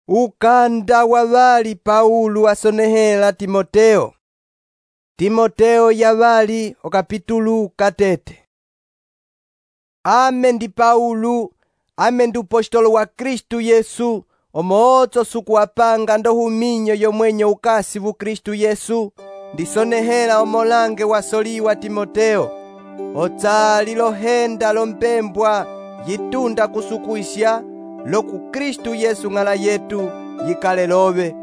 Ukanda wavali Paulo asonehela Timoteo. Timoteo yavali okapitulu katete. Ame ndi Paulo, ame ndi upostolo wa Kristu Yesu, omooto sukuwapanga ndohuminyo yomwenyo ukasi vu Kristu Yesu, ndisonehela omolange wasoliwa Timoteo, otsali lohenda lompembwa yitunda kusukuisha loku Kristu Yesu ng'ala yetu yikale love.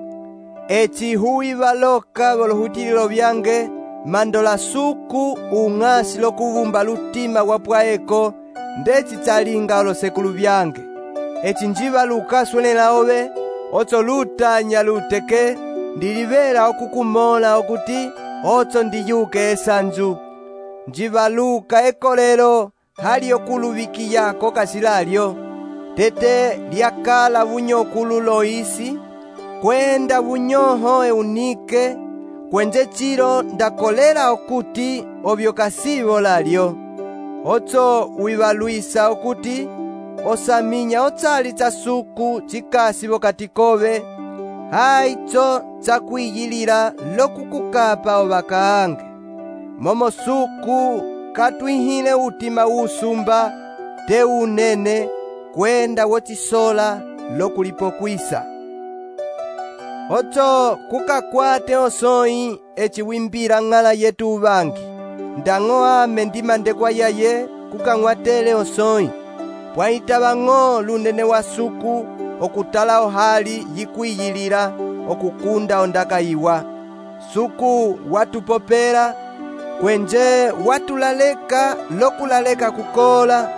Eci hui valoka volohutilo vyange mandola suku ung'asi lokuvumba lutima wapwaeko ndeci tsalinga olosekulu vyange. Eci njivaluka swenela ove otso lutanya luteke ndilivela okukumola okuti otso ndiyuke esanzu. Njivaluka ekolelo hali okuluvikiyako kasilalyo tete lyakala vunyokulu Loisi kwenda vunyoho Eunike kwenje chilo ndakolela okuti ovyo kasivo lalyo. Otso wivaluisa okuti osaminya otsali tsasuku chikasivo katikove haitso tsakwiyilila lokukukapa ovakaange. Momo suku katwihile utima usumba te unene kwenda wotisola lokulipokwisa. Otso kukakwate osoi eci wimbila ng'ala yetu uvangi. Ndang'o ame ndimandekwa yaye kukang'watele osoi. Pwaitava ng'o lunene wa suku okutala ohali yikwiyilila okukunda ondaka iwa. Suku watupopela kwenje watulaleka lokulaleka kukola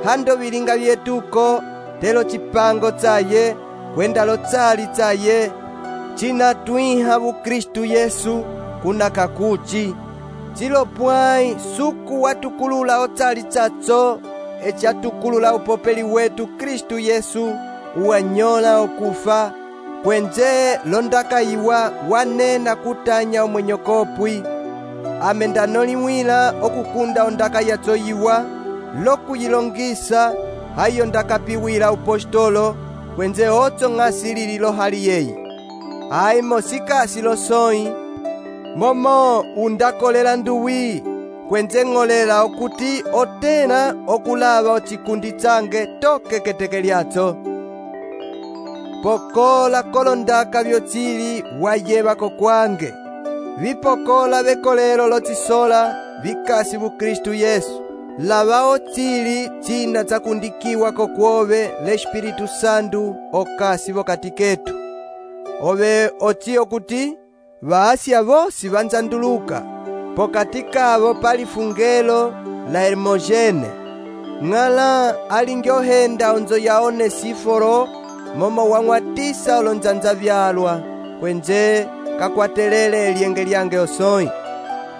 hando vilinga vyetuko telo chipango tsaye kwenda lotsali tsaye china twiha vu Kristu Yesu kuna kakuchi. Chilo pwai suku watukulula otsali tsatso eci atukulula upopeli wetu Kristu Yesu uwanyola okufa kwenje londaka iwa wanena kutanya omwenyokopwi. Ame ndanoliwila okukunda ondaka yatso iwa lokuyilongisa hayo ndakapiwila upostolo kwenze otso ng'asilili lohali yeyi. Aimo sikasi losoi momo undakolela nduwi kwenze ng'olela okuti otena okulava ochikundi tsange toke keteke lyatso. Pokola kolondaka vyotsili wayevako kwange. Vipokola vekolelo lotisola vikasi vu Kristu Yesu. Lava otsili china tsakundikiwa kokwove l'Espiritu Santu okasi vokati ketu. Ove oti okuti vaasya vosi vanzanduluka pokati kavo pali fungelo la Hermogene. Ng'ala alingi ohenda onzo ya Onesiforo momo wang'watisa olonzanza vyalwa kwenje kakwatelele elienge lyange osoi.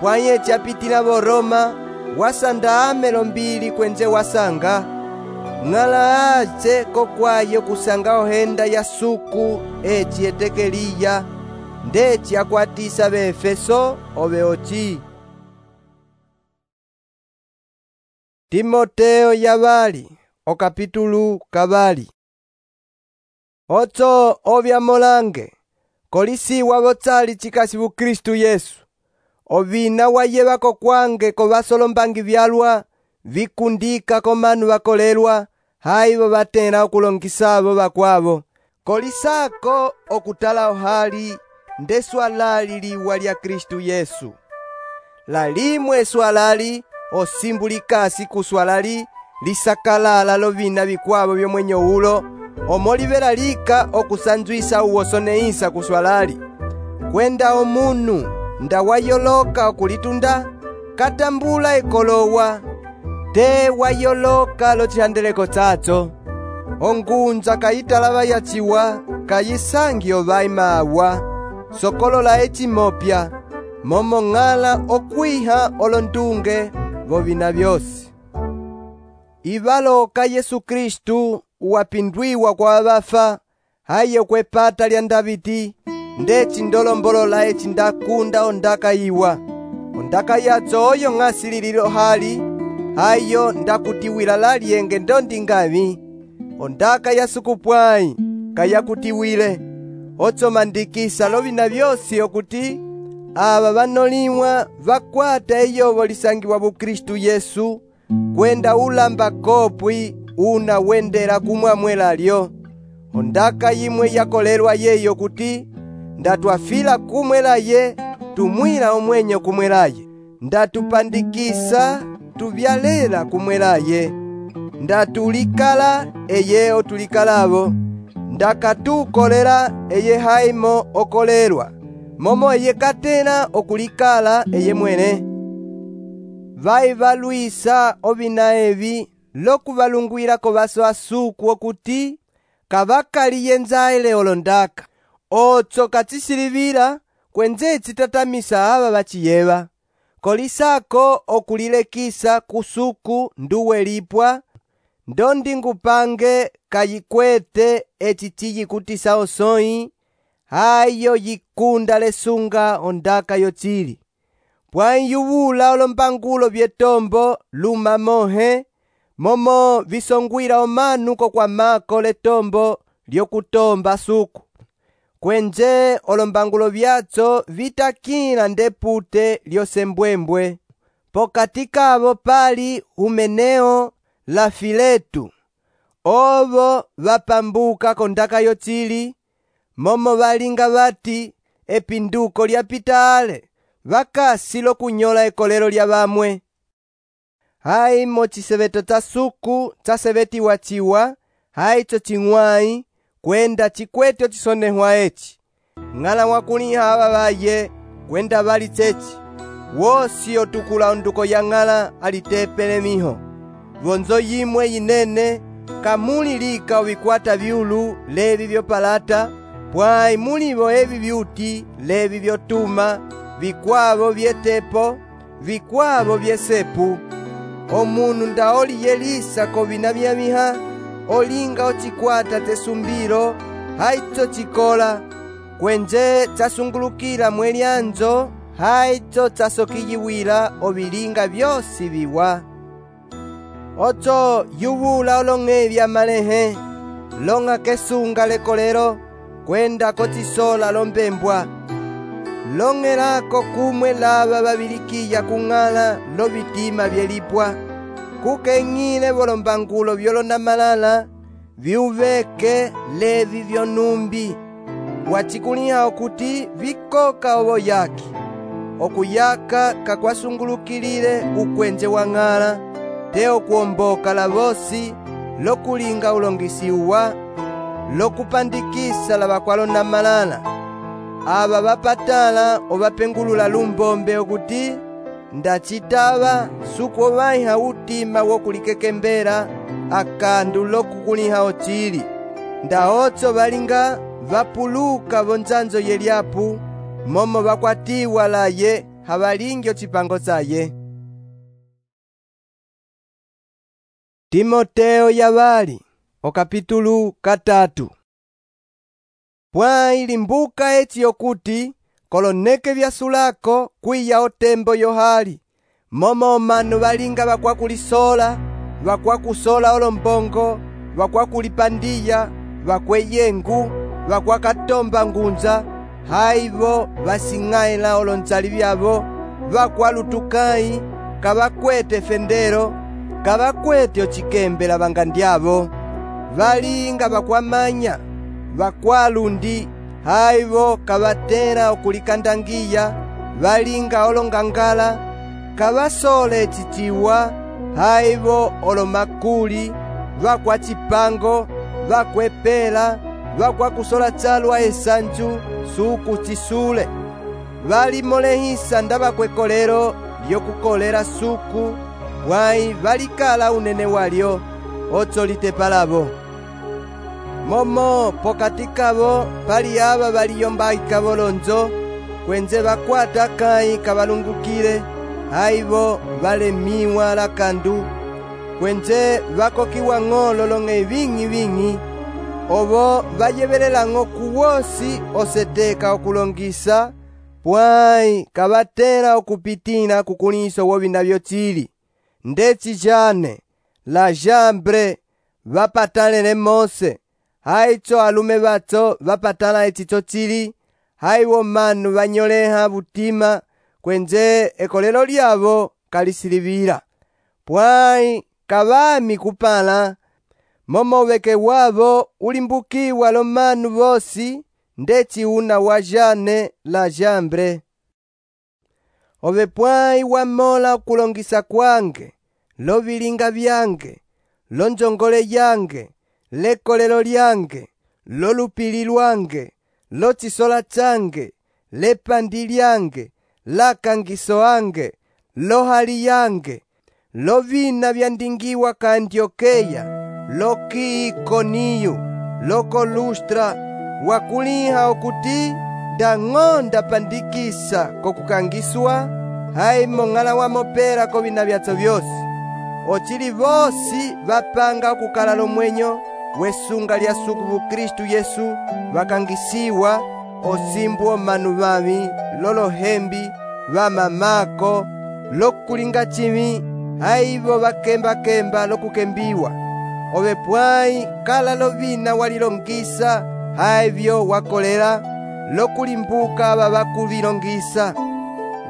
Pwaye chapitila vo Roma wasanda amelo mbili kwenje wasanga. Ng'ala ache kokwayo kusanga ohenda ya suku eci etekeliya ndeci akwatisa Beefeso ove ochi. Timoteo yavali okapitulu kavali. Otso ovya molange kolisiwa votsali chikasi vu Kristu Yesu. Ovina wayevako kwange kovasolombangi vyalwa vikundika komanu vakolelwa haivo vatena okulongisavo vakwavo. Kolisako okutala ohali nde swalali liwa lya Kristu Yesu. Lalimwe swalali osimbulikasi kuswalali lisakalala lovina vikwavo vyomwenyo ulo omolivela lika okusanzwisa uwosoneisa kuswalali. Kwenda omunu ndawayoloka okulitunda katambula ekolowa te wayoloka lochihandeleko tsatso. Ongunza kayitalava yachiwa kayisangi ovai mawa sokolola eci mopya momo ng'ala okwiha olondunge vovina vyosi. Ivaloka Yesu Kristu uwapindwiwa kwa vafa hayo kwepata lya Davidi ndeci ndolombolola eci ndakunda ondaka iwa. Ondaka yatso oyo ng'asilililo hali hayo ndakutiwila lalyenge ndondingavi. Ondaka ya sukupwai kayakutiwile. Otsomandikisa lovina vyosi okuti ava vanolimwa vakwata eyovo lisangiwa Kristu Yesu kwenda ulamba kopwi una wendela kumwamwela lyo. Ondaka yimwe yakolelwa yeyo kuti ndatwafila kumwelaye tumwila omwenyo kumwelaye, ndatupandikisa tuvyalela kumwelaye, ndatulikala eye otulikalavo, ndakatukolela eye haimo okolelwa, momo eye katena okulikala eye mwene. Vaivalwisa ovina evi lokuvalungwilako vaso asuku okuti kavakaliye nzaile olondaka. Otso katsisilivila kwenze tsitatamisa ava vachiyeva. Kolisako okulilekisa kusuku nduwe lipwa, ndondingupange kayikwete eci ciyikutisa osoi, hayo yikunda lesunga ondaka yotsili. Pwanyuvula olombangulo vyetombo luma mohe, momo visongwila omanu kokwamako letombo lyokutomba suku. Kwenje olombangulo vyatso vitakila ndepute lyosembwembwe. Pokati kavo pali Humeneo la Filetu. Ovo vapambuka kondaka yotsili, momo valinga vati epinduko lyapita ale, vakasi lokunyola ekolelo lya vamwe. Haimo chiseveto tsa suku tsasevetiwa chiwa, haitso ching'wai, kwenda chikwete otisonehwa eci. Ng'ala mwakuliha ava vaye kwenda vali tsechi. Wosi otukula onduko ya ng'ala alitepele miho. Vonzo yimwe yinene kamuli lika ovikwata vyulu levi vyopalata, pwai mulivo evi vyuti levi vyotuma, vikwavo vyetepo, vikwavo vyesepu. Omunu ndaoliyelisa kovina vyamiha, olinga ochikwata tesumbilo, haitso chikola, kwenje tsasungulukila mwelyanzo, haitso tsasokiyiwila ovilinga vyosi viwa. Otso yuvula olong'e vya malehe, longa kesunga lekolelo, kwenda kotisola lombembwa. Long'elako kumwe lava vavilikiya kung'ala lovitima vyelipwa, kukeng'ile volombangulo vyolonda malala, viuveke levi vyonumbi. Wachikuliha okuti vikoka ovo yaki, okuyaka kakwasungulukilile ukwenje wa ng'ala, te okuomboka lavosi lokulinga ulongisiwa, lokupandikisa lavakwalonda malala. Ava vapatala ovapengulula lumbombe okuti ndachitava suku ovaiha utima wokulikekembela akandu lokukuliha otsili. Ndaotso valinga vapuluka vonzanzo yelyapu, momo vakwatiwa laye havalingi ocipango tsaye. Timoteo yavali, okapitulu 3. Pwai limbuka eci yokuti koloneke vyasulako kwiya otembo yohali, momo omanu valinga vakwakulisola, vakwakusola olombongo, vakwakulipandiya, vakweyengu, vakwakatomba ngunza, haivo vasing'aila olonzali vyavo, vakwalutukai, kavakwete fendero, kavakwete ochikembela vangandyavo, valinga vakwamanya, vakwalundi, haivo kavatera okulikandangiya, valinga olongangala, kavasole ecichiwa, haivo olomakuli, vakwachipango, vakwepela, vakwakusola tsalwa esanju, suku chisule. Valimolehisa ndavakwekolelo lyokukolela suku, pwai valikala unene walyo, otso litepalavo. Momo pokati kavo pali ava valiyombaika volonzo, kwenze vakwata kai kavalungukile, haivo valemiwa lakandu, kwenze vakokiwa ng'olo long'e ving'i, ovo vayevelelang'o kuwosi oseteka okulongisa, pwai kavatela okupitila kukuliso wovina vyotsili. Ndeci jane, la jambre, vapatalele Mose, haitso alume batso vapatala ecicho cili, haiwo manu vanyoleha butima, kwenze ekolelo lyavo kalisilivila. Pwai kavami kupala, momo uveke wavo ulimbukiwa lo manu vosi, ndeci una wa jane la jambre. Ove pwai wamola kulongisa kwange, lo vilinga vyange, lo njongole yange, lekolelo lyange, lo lupili lwange, lo chisola change, lepandi lyange, la kangiso ange, lo hali yange, lo vina vyandingiwa ka Antiokeya, lo ki Ikoniyu, lo kolustra, wakuliha okuti ndang'onda pandikisa kokukangiswa, haimo ng'ala wamopera ko vina vyatso vyosi. Ocili vosi vapanga okukala lomwenyo wesunga lya sukuvu Kristu Yesu, vakangisiwa osimbu omanu vami, lolohembi, vamamako, lokulinga chimi, haivo vakemba-kemba lokukembiwa. Ove pwai kala lovina walilongisa, haivyo wakolela, lokulimbuka vavakuvilongisa.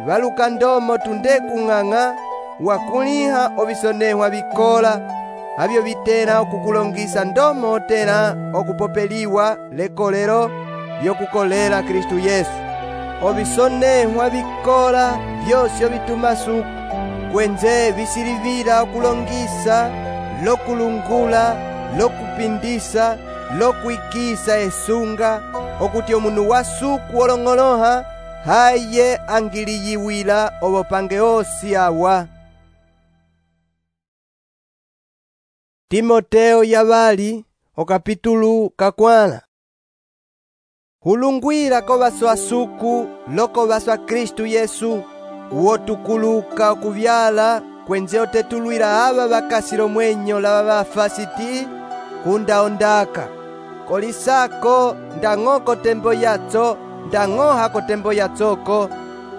Valuka ndomo tunde kung'ang'a, wakuliha ovisonehwa vikola, havyo vitela okukulongisa ndomo otela okupopeliwa lekolelo lyokukolela Kristu Yesu. Ovisonehwa vikola vyosyo vituma suku, kwenze visilivila okulongisa, lokulungula, lokupindisa, lokwikisa esunga, okuti omunu wa suku olong'oloha, haye angiliyiwila obopange osi awa. Timoteo yabali, okapitulu kakwala. Hulungwila ko baso asuku, loko baso a Kristu Yesu, uotukuluka okuvyala, kwenze otetulwila aba bakasilo mwenyo la babafasiti, kunda ondaka. Kolisako ndang'oko tembo yatso, ndang'ohako tembo yatsoko,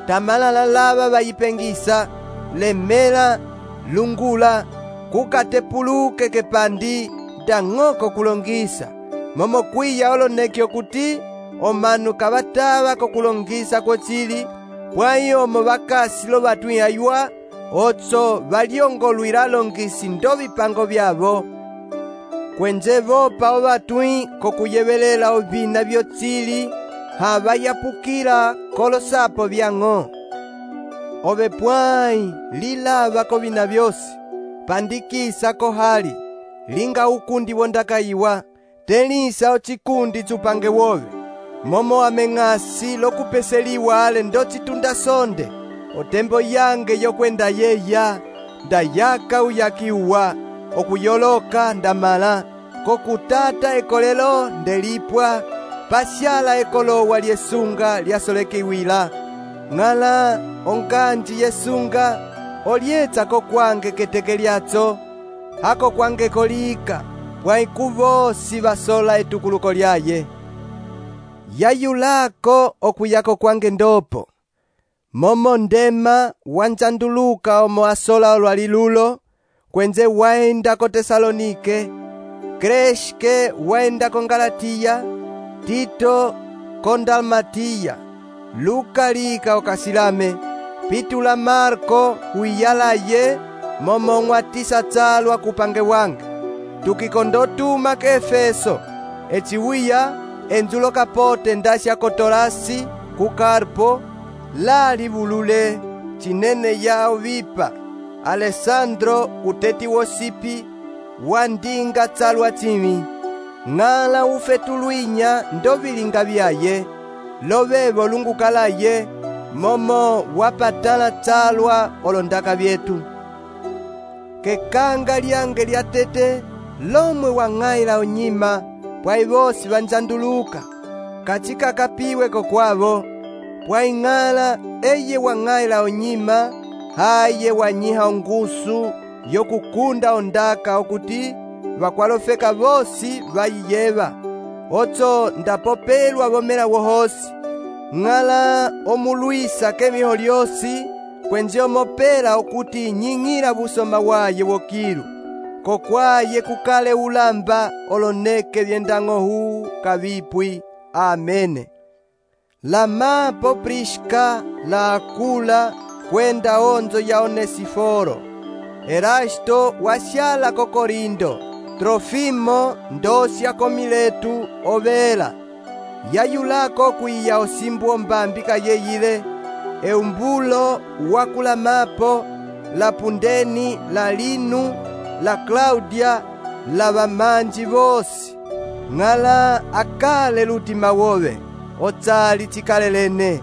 tamalala laba bayipengisa, lemela, lungula, kukatepuluke kepandi, ndang'oko kulongisa. Momo kwiya oloneki okuti, omanu kabataba kokulongisa kwocili, pwai omo bakasi lo batwihaywa, otso balyongolwila longisi ndo bipango byabo. Kwenze bopa obatwi kokuyebelela ovina vyotsili, habayapukila kolosapo byang'o. Ove pwai lilaba ko bina byosi, pandikisa ko hali, linga ukundi wondakayiwa, telisa ochikundi chupange wove, momo ameng'asi lokupeseliwa ale ndo chitunda sonde, otembo yange yokwenda yeya, ndayaka uyakiwa, okuyoloka ndamala, kokutata ekolelo ndelipwa, pasyala ekolowa lyesunga lyasolekiwila. Ng'ala onkanji yesunga, olyetsa ko kwange keteke lyatso, hako kwange kolika, pwai kuvosi basola etukuluko lyaye. Yayulako okuyako kwange ndopo, momo ndema wanjanduluka omo asola olwali lulo, kwenze waenda ko Tesalonike, Kreshke waenda ko Galatiya, Tito ko Dalmatiya, Luka lika okasilame, pitula Marko huiyalaye, momo ng'watisa tsalwa kupange wange. Tukikondotuma ke Efeso, echiwiya enzulo kapote ndasya kotolasi ku Karpo, lali bulule, chinene yao vipa, Alessandro uteti wosipi, wandinga tsalwa chimi. Ng'ala ufetulwinya ndo bilinga byaye, lovebo lungukalaye, momo wapatala tsalwa olondaka byetu. Kekanga lyange lyatete, lomwe wang'ayila onyima, pwai bosi banjanduluka, kachika kapiwe kokwabo, pwai ng'ala eye wang'ayila onyima, haye wanyiha ongusu yokukunda ondaka okuti bakwalofeka bosi bayiyeba. Otso ndapopelwa bomela wohosi, ng'ala omulwisa kemiho lyosi, kwenze omopela okuti nying'ila busoma waye wokilu, kokwaye kukale ulamba oloneke vyendang'ohu kavipwi. Amene. Lamapo Priska la Akula kwenda onzo ya Onesiforo. Erasto wasyala ko Korinto. Trofimo ndosya ko Miletu ovela. Yayulako kwiya osimbu ombambi kayeyile. Eumbulo wakulamapo la Pundeni, la Linu, la Claudia, la bamanji bosi. Ng'ala akale lutima wowe, otsali tikalelene.